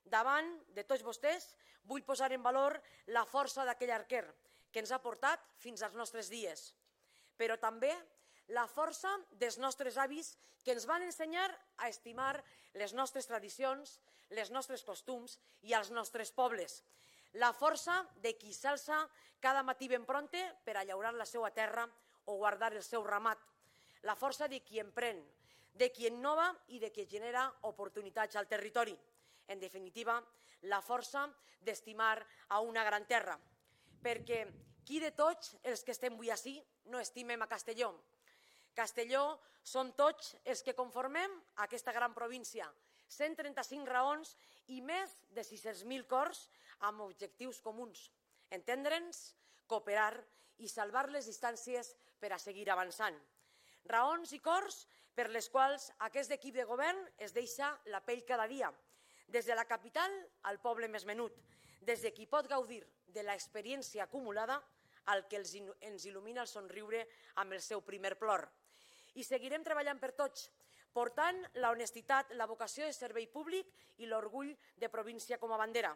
Davant de tots vostès vull posar en valor la força d'aquell arquer que ens ha portat fins als nostres dies, però també la força dels nostres avis que ens van ensenyar a estimar les nostres tradicions, les nostres costums i els nostres pobles. La força de qui s'alça cada matí ben prompte per a llaurar la seva terra o guardar el seu ramat. La força de qui emprèn, de qui innova i de qui genera oportunitats al territori. En definitiva, la força d'estimar a una gran terra. Perquè qui de tots els que estem avui ací no estimem a Castelló? Castelló som tots els que conformem aquesta gran província, 135 raons i més de 600.000 cors amb objectius comuns, entendre'ns, cooperar i salvar les distàncies per a seguir avançant. Raons i cors per les quals aquest equip de govern es deixa la pell cada dia, des de la capital al poble més menut, des de qui pot gaudir de l'experiència acumulada al que ens il·lumina el somriure amb el seu primer plor. I seguirem treballant per tots, portant la honestitat, la vocació de servei públic i l'orgull de província com a bandera.